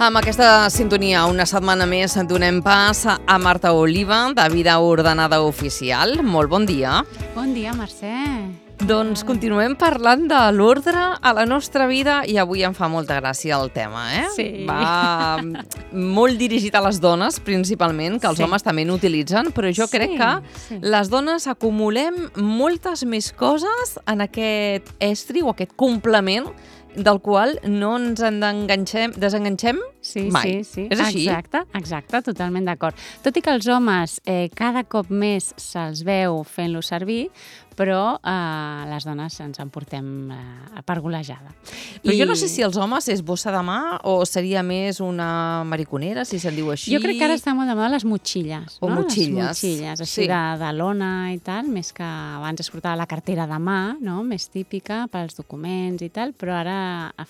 Amb aquesta sintonia, una setmana més donem pas a Marta Oliva, de Vida Ordenada Oficial. Molt bon dia. Bon dia, Mercè. Doncs continuem parlant de l'ordre a la nostra vida i avui em fa molta gràcia el tema, eh? Sí. Va molt dirigit a les dones, principalment, que els homes també n'utilitzen, però jo crec que les dones acumulem moltes més coses en aquest estri o aquest complement del qual no ens desenganxem mai. Sí. És així? Exacte, totalment d'acord. Tot i que els homes cada cop més se'ls veu fent-lo servir, però les dones ens en portem per golejada. Però jo no sé si els homes és bossa de mà o seria més una mariconera, si se'n diu així. Jo crec que ara està molt de moda les motxilles. O motxilles. Les motxilles, així de lona i tal, més que abans es portava la cartera de mà, no? Més típica pels documents i tal, però ara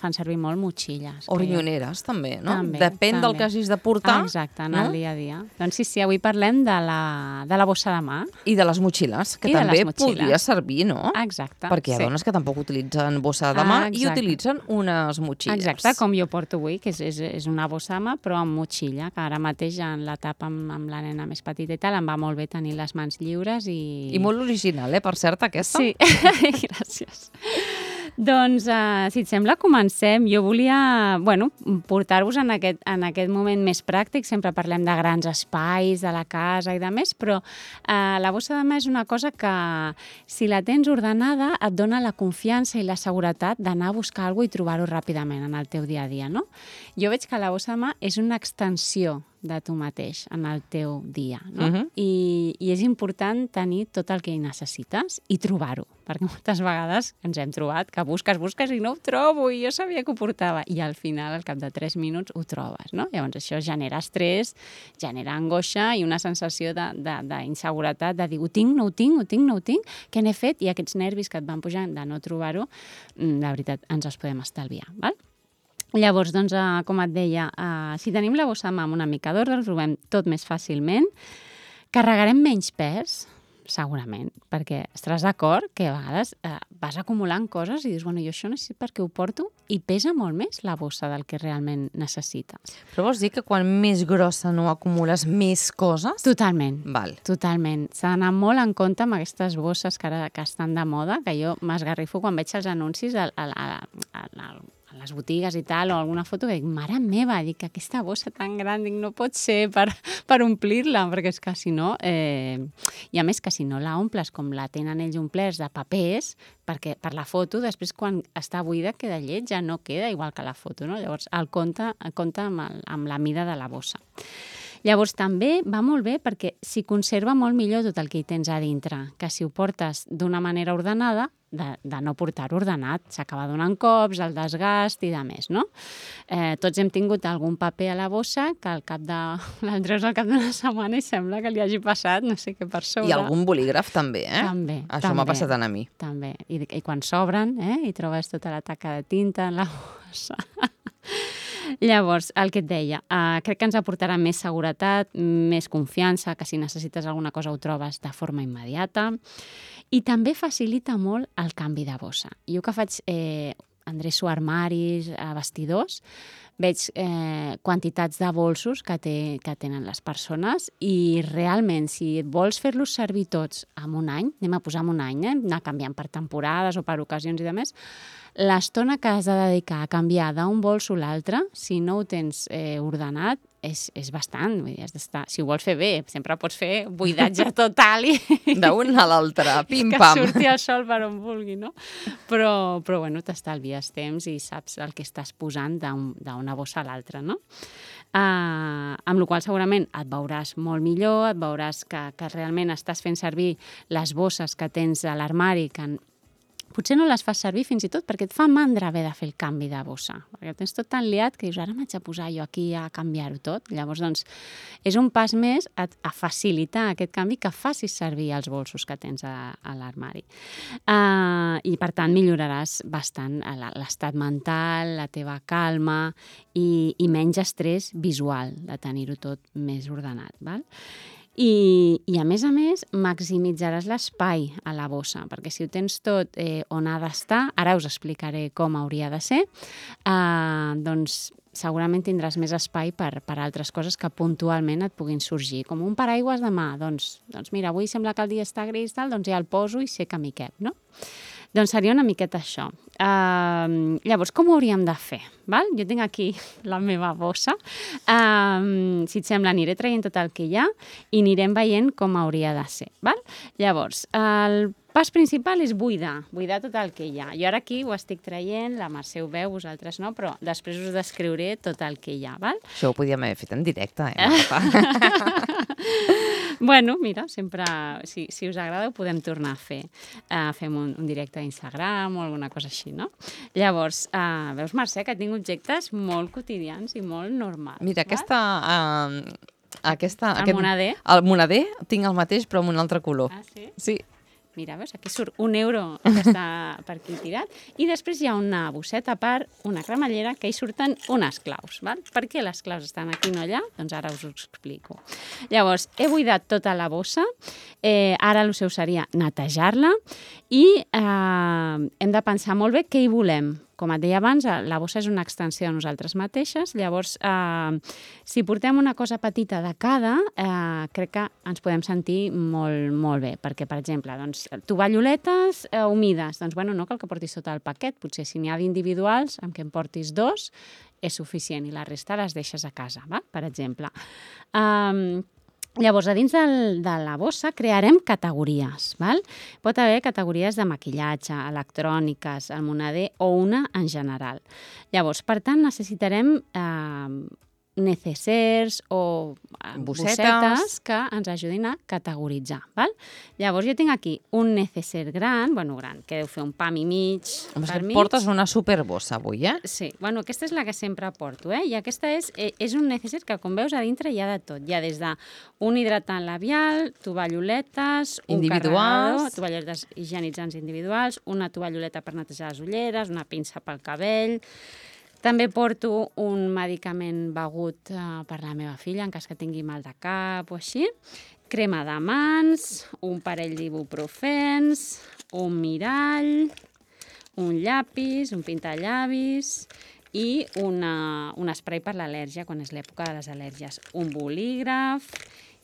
fan servir molt motxilles. O rinyoneres, també, no? També, Depèn del que hagis de portar. Exacte, en el dia a dia. Doncs sí, avui parlem de la bossa de mà. I de les motxilles, que també podria servir, no? Exacte. Perquè hi ha dones que tampoc utilitzen bossa de mà i utilitzen unes motxilles. Exacte, com jo porto avui, que és una bossa de mà, però amb motxilla, que ara mateix en l'etapa amb la nena més petita i tal, em va molt bé tenir les mans lliures i... I molt original, per cert, aquesta. Sí, gràcies. Doncs, si et sembla, comencem. Jo volia portar-vos en aquest moment més pràctic. Sempre parlem de grans espais, de la casa i de més, però la bossa de mà és una cosa que, si la tens ordenada, et dona la confiança i la seguretat d'anar a buscar alguna cosa i trobar-ho ràpidament en el teu dia a dia, no? Jo veig que la bossa de mà és una extensió de tu mateix en el teu dia, no? I és important tenir tot el que hi necessites i trobar-ho, perquè moltes vegades ens hem trobat que busques i no ho trobo i jo sabia que ho portava i al final, al cap de 3 minuts, ho trobes, no? Llavors això genera estrès, genera angoixa i una sensació d'inseguretat, de dir, ho tinc, no ho tinc, què n'he fet? I aquests nervis que et van pujant de no trobar-ho, la veritat, ens els podem estalviar, val? Llavors, doncs, com et deia, si tenim la bossa de mà amb una mica d'ordre, el trobem tot més fàcilment. Carregarem menys pes, segurament, perquè estaràs d'acord que a vegades vas acumulant coses i dius, jo això necessito perquè ho porto i pesa molt més la bossa del que realment necessites. Però vols dir que quan més grossa no acumules més coses? Totalment. Val. Totalment. S'ha d'anar molt en compte amb aquestes bosses que ara estan de moda, que jo m'esgarrifo quan veig els anuncis a les botigues i tal, o alguna foto que dic, mare meva, dic, aquesta bossa tan gran, dic, no pot ser per omplir-la, perquè és que si no... I a més que si no la omples com la tenen ells omplerts de papers, perquè per la foto, després quan està buida queda lleig, ja no queda igual que la foto, no? Llavors, el compte amb la mida de la bossa. Llavors, també va molt bé perquè s'hi conserva molt millor tot el que hi tens a dintre, que si ho portes d'una manera ordenada, de no portar-ho ordenat, s'acaba donant cops, el desgast i de més, no? Tots hem tingut algun paper a la bossa que el treus al cap d'una setmana i sembla que li hagi passat no sé què per sobre. I algun bolígraf també, eh? També. Això m'ha passat a mi. També. I quan s'obren, i trobes tota la taca de tinta en la bossa... Llavors, el que et deia, crec que ens aportarà més seguretat, més confiança, que si necessites alguna cosa ho trobes de forma immediata, i també facilita molt el canvi de bossa. Jo que faig endreço armaris, vestidors, veig quantitats de bolsos que tenen les persones i realment, si vols fer-los servir tots en un any, anem a posar en un any, anar canviant per temporades o per ocasions i de més, l'estona que has de dedicar a canviar d'un bolso a l'altre, si no ho tens ordenat, és bastant. Vull dir, has d'estar... Si ho vols fer bé, sempre pots fer buidatge total i... D'un a l'altre, pim-pam. Que surti el sol per on vulgui, no? Però t'estalvies temps i saps el que estàs posant d'una bossa a l'altra, no? Amb la qual cosa segurament et veuràs molt millor, et veuràs que realment estàs fent servir les bosses que tens a l'armari, que potser no les fas servir fins i tot perquè et fa mandra haver de fer el canvi de bossa, perquè tens tot tan liat que dius, ara m'haig de posar jo aquí a canviar-ho tot. Llavors, doncs, és un pas més a facilitar aquest canvi que facis servir els bolsos que tens a l'armari. I, per tant, milloraràs bastant l'estat mental, la teva calma i menys estrès visual de tenir-ho tot més ordenat, val? I a més, maximitzaràs l'espai a la bossa, perquè si ho tens tot on ha d'estar, ara us explicaré com hauria de ser, doncs segurament tindràs més espai per altres coses que puntualment et puguin sorgir. Com un paraigües de mà, doncs mira, avui sembla que el dia està gris, doncs ja el poso i sé que m'hi cap, no? Doncs seria una miqueta això. Llavors, com ho hauríem de fer? Val? Jo tinc aquí la meva bossa. Si et sembla, aniré traient tot el que hi ha i anirem veient com hauria de ser. Val? Llavors, el pas principal és buidar tot el que hi ha. Jo ara aquí ho estic traient, la Mercè ho veu, vosaltres no, però després us descriuré tot el que hi ha. Val? Això ho podíem haver fet en directe, Marta? Bueno, mira, sempre, si us agrada, ho podem tornar a fer. Fem un directe a Instagram o alguna cosa així, no? Llavors, veus, Mercè, que tinc objectes molt quotidians i molt normals. Mira, El monader. El monader tinc el mateix, però amb un altre color. Ah, sí? Sí. Mira, veus, aquí surt €1 que està per aquí tirat. I després hi ha una bosseta a part, una cremallera, que hi surten unes claus. Val? Per què les claus estan aquí i no allà? Doncs ara us ho explico. Llavors, he buidat tota la bossa. Ara el seu seria netejar-la i hem de pensar molt bé què hi volem. Com et deia abans, la bossa és una extensió de nosaltres mateixes. Llavors, si portem una cosa petita de cada, crec que ens podem sentir molt, molt bé. Perquè, per exemple, tovalloletes humides. Doncs, bueno, no cal que portis tot el paquet. Potser si n'hi ha d'individuals, amb què en portis 2, és suficient. I la resta les deixes a casa, va? Per exemple. Llavors, a dins de la bossa crearem categories. Val? Pot haver categories de maquillatge, electròniques, el monader o una en general. Llavors, per tant, necessitarem necessers o bossetes que ens ajudin a categoritzar. Val? Llavors, jo tinc aquí un necesser gran, que deu fer un pam i mig per mig. Portes una superbossa avui, eh? Sí, aquesta és la que sempre porto, I aquesta és un necesser que, com veus, a dintre hi ha de tot. Hi ha des d'un hidratant labial, tovalloletes, un carregador, tovalloletes higienitzants individuals, una tovalloleta per netejar les ulleres, una pinça pel cabell. També porto un medicament begut per la meva filla, en cas que tingui mal de cap o així, crema de mans, un parell d'ibuprofens, un mirall, un llapis, un pintallavis i un spray per l'al·lèrgia, quan és l'època de les al·lèrgies, un bolígraf,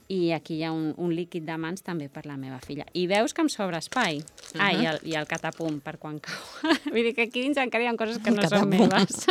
i aquí hi ha un líquid de mans també per la meva filla. I veus que em sobra espai. I el catapum per quan cau. Vull dir que aquí dins encara hi ha coses que no són meves.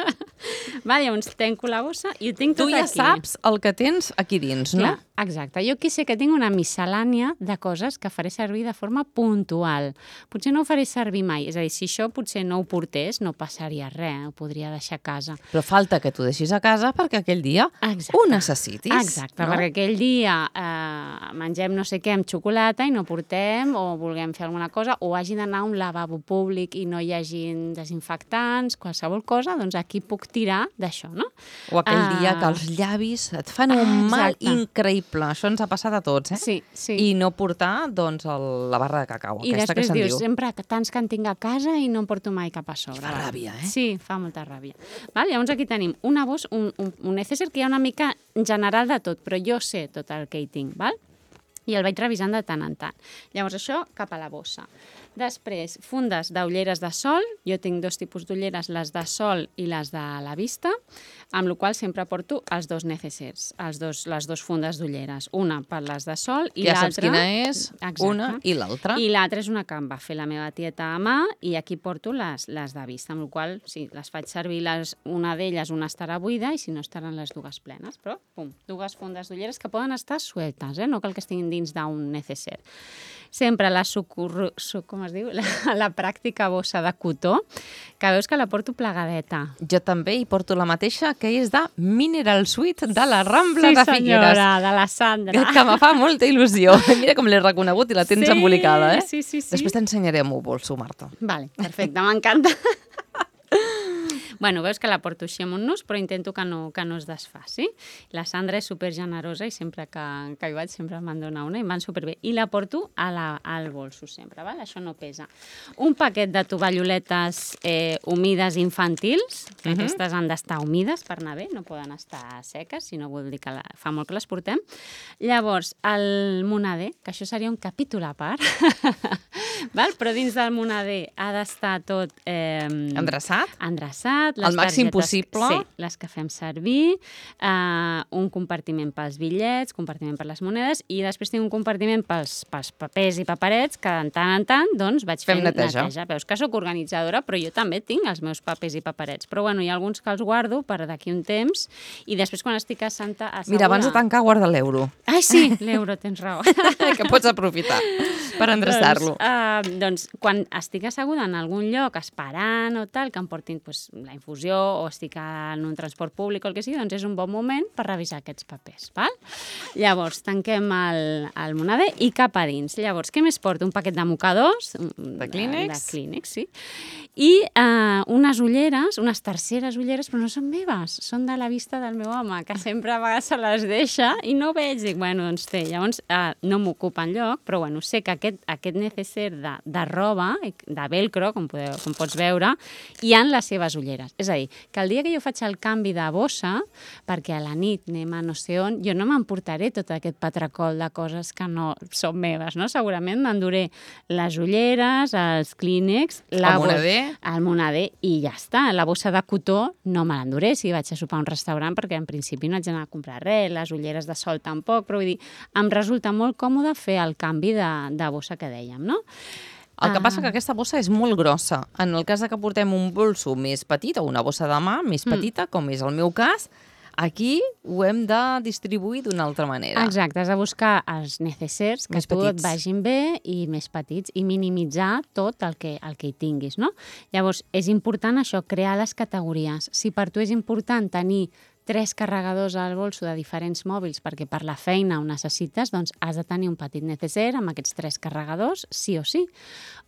Llavors, tanco la bossa i ho tinc tot aquí. Tu ja saps el que tens aquí dins, no? Clar, exacte. Jo aquí sé que tinc una miscel·lània de coses que faré servir de forma puntual. Potser no ho faré servir mai. És a dir, si això potser no ho portés, no passaria res, ho podria deixar a casa. Però falta que t'ho deixis a casa perquè aquell dia ho necessitis. Exacte, perquè aquell dia mengem no sé què amb xocolata i no portem, o vulguem fer alguna cosa, o hagi d'anar a un lavabo públic i no hi hagi desinfectants, qualsevol cosa, doncs aquí puc tirar d'això, no? O aquell dia que els llavis et fan un mal increïble. Això ens ha passat a tots, Sí, sí. I no portar, doncs, la barra de cacau, I aquesta que se'n diu. I després dius, sempre tants que en tinc a casa i no em porto mai cap a sobre. Fa ràbia, Sí, fa molta ràbia. Llavors aquí tenim una bossa, un necesser que hi ha una mica general de tot, però jo sé tot el que hi tinc, val? I el vaig revisant de tant en tant. Llavors això cap a la bossa. Després, fundes d'ulleres de sol. Jo tinc 2 tipus d'ulleres, les de sol i les de la vista, amb la qual sempre porto els 2 necessers, les 2 fundes d'ulleres. Una per les de sol i l'altra... Ja saps quina és, una i l'altra. I l'altra és una que em va fer la meva tieta a mà i aquí porto les de vista, amb la qual sí, les faig servir, una d'elles una estarà buida i si no estaran les 2 plenes. Però, 2 fundes d'ulleres que poden estar sueltes, no cal que estiguin dins d'un necesser. Sempre com es diu? La pràctica bossa de cotó, que veus que la porto plegadeta. Jo també hi porto la mateixa, que és de Mineral Suite de la Rambla de Figueres. Sí, senyora, de la Sandra. Que me fa molta il·lusió. Mira com l'he reconegut i la tens embolicada, eh? Sí. Després t'ensenyaré el meu bolso, Marta. Vale, perfecte, m'encanta. Bueno, veus que la porto així amb un nus, però intento que no es desfaci. La Sandra és supergenerosa i sempre que hi vaig sempre me'n dona una i em van superbé. I la porto al bolso sempre, val? Això no pesa. Un paquet de tovalloletes humides infantils, que aquestes han d'estar humides per anar bé, no poden estar seques, si no vol dir que fa molt que les portem. Llavors, el monader, que això seria un capítol a part, Però dins del moneder ha d'estar tot... Endreçat? Endreçat. Al màxim possible. Sí, les que fem servir, un compartiment pels bitllets, compartiment per les monedes, i després tinc un compartiment pels papers i paperets, que de tant en tant doncs, vaig fent neteja. Veus que sóc organitzadora, però jo també tinc els meus papers i paperets. Però bueno, hi ha alguns que els guardo per d'aquí un temps, i després quan estic asseguda... Mira, abans de tancar, guarda l'euro. Ai, sí, l'euro, tens raó. Que pots aprofitar per endreçar-lo. Doncs quan estic asseguda en algun lloc esperant o tal, que em portin la infusió o estic en un transport públic o el que sigui, doncs és un bon moment per revisar aquests papers. Val? Llavors, tanquem el moneder i cap a dins. Llavors, què més porto? Un paquet de mocadors. De Kleenex. De Kleenex, sí. I unes ulleres, unes terceres ulleres, però no són meves, són de la vista del meu home, que sempre a vegades se les deixa i no veig. Dic, bueno, doncs té. Llavors, no m'ocupa enlloc, però bueno, sé que aquest necesser de roba, de velcro, com pots veure, hi ha les seves ulleres. És a dir, que el dia que jo faig el canvi de bossa, perquè a la nit anem a no sé on, jo no m'emportaré tot aquest patracol de coses que no són meves, no? Segurament m'enduré les ulleres, els Kleenex, el moneder, i ja està. La bossa de cotó no me l'enduré si vaig a sopar a un restaurant, perquè en principi no haig d'anar a comprar res, les ulleres de sol tampoc, però vull dir, em resulta molt còmode fer el canvi de bossa que dèiem, no? El que passa que aquesta bossa és molt grossa. En el cas que portem un bolso més petit o una bossa de mà més petita, com és el meu cas, aquí ho hem de distribuir d'una altra manera. Exacte, has de buscar els necessers que a tu et vagin bé i més petits i minimitzar tot el que hi tinguis, no? Llavors, és important això, crear les categories. Si per tu és important tenir 3 carregadors al bolso de diferents mòbils perquè per la feina ho necessites, doncs has de tenir un petit necesser amb aquests 3 carregadors, sí o sí.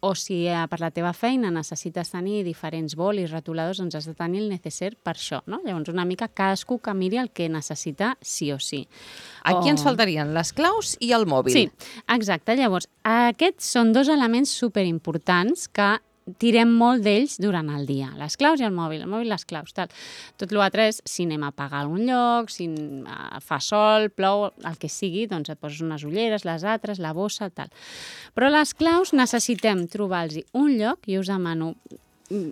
O si per la teva feina necessites tenir diferents bolis, retoladors, doncs has de tenir el necesser per això, no? Llavors, una mica cadascú que miri el que necessita sí o sí. Aquí ens faltarien les claus i el mòbil. Sí, exacte. Llavors, aquests són 2 elements superimportants que tirem molt d'ells durant el dia. Les claus i el mòbil, les claus, tal. Tot l'altre és si anem a pagar a algun lloc, si fa sol, plou, el que sigui, doncs et poses unes ulleres, les altres, la bossa, tal. Però les claus necessitem trobar-los un lloc, i us demano,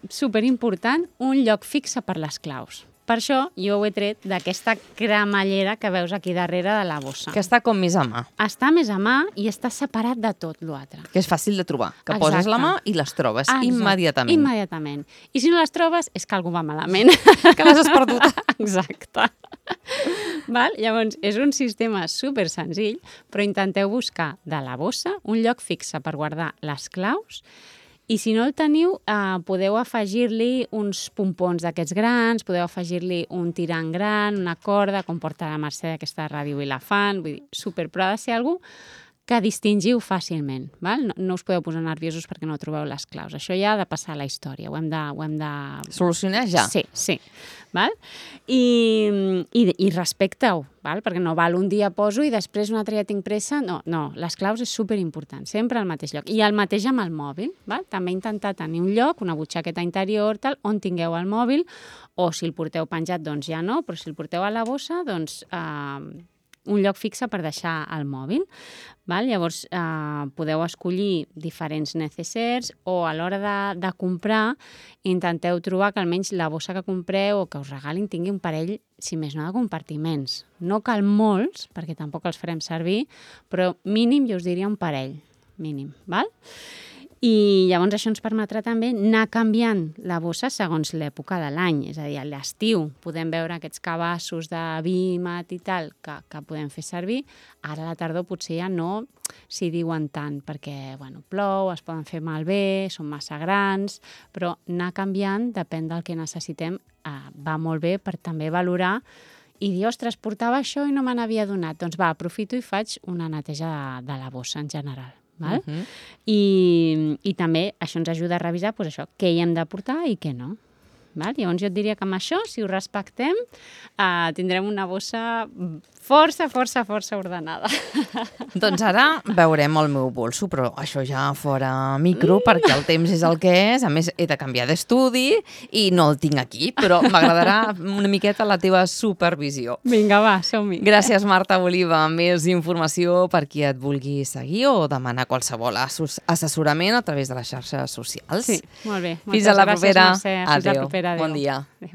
superimportant, un lloc fixe per les claus. Per això jo ho he tret d'aquesta cremallera que veus aquí darrere de la bossa. Que està com més a mà. Està més a mà i està separat de tot l'altre. Que és fàcil de trobar. Que poses la mà i les trobes immediatament. Immediatament. I si no les trobes és que algú va malament. Que les has perdut. Exacte. Llavors, és un sistema super senzill, però intenteu buscar de la bossa un lloc fixe per guardar les claus. I si no el teniu, podeu afegir-li uns pompons d'aquests grans, podeu afegir-li un tirant gran, una corda, com porta la Mercè aquesta ràdio i la fan, vull dir, super, però ha de ser algú que distingiu fàcilment. No us podeu posar nerviosos perquè no trobeu les claus. Això ja ha de passar a la història, ho hem de... Solucionar ja. Sí. I respecte-ho, perquè no val un dia poso i després un altre ja tinc pressa. No, les claus és superimportant, sempre al mateix lloc. I el mateix amb el mòbil. També intentar tenir un lloc, una butxaqueta interior, tal, on tingueu el mòbil, o si el porteu penjat, doncs ja no, però si el porteu a la bossa, doncs... un lloc fixe per deixar el mòbil. Llavors, podeu escollir diferents necessers o a l'hora de comprar intenteu trobar que almenys la bossa que compreu o que us regalin tingui un parell, si més no, de compartiments. No cal molts, perquè tampoc els farem servir, però mínim, jo us diria un parell, mínim. I llavors això ens permetrà també anar canviant la bossa segons l'època de l'any. És a dir, a l'estiu podem veure aquests cabassos de vi, mat i tal que podem fer servir. Ara a la tardor potser ja no s'hi diuen tant perquè plou, es poden fer malbé, són massa grans, però anar canviant depèn del que necessitem. Va molt bé per també valorar i dir, ostres, portava això i no me n'havia donat. Doncs aprofito i faig una neteja de la bossa en general. I també això ens ajuda a revisar què hi hem de portar i què no. Val? Llavors jo et diria que amb això, si ho respectem, tindrem una bossa força ordenada. Doncs ara veurem el meu bolso, però això ja fora micro, perquè el temps és el que és. A més, he de canviar d'estudi i no el tinc aquí, però m'agradarà una miqueta la teva supervisió. Vinga, va, som-hi. Gràcies, Marta Oliva. Més informació per qui et vulgui seguir o demanar qualsevol assessorament a través de les xarxes socials. Sí, molt bé. Fins a la propera. Gràcies, Mercè. Fins a la propera. Adéu. Bon dia. Adéu.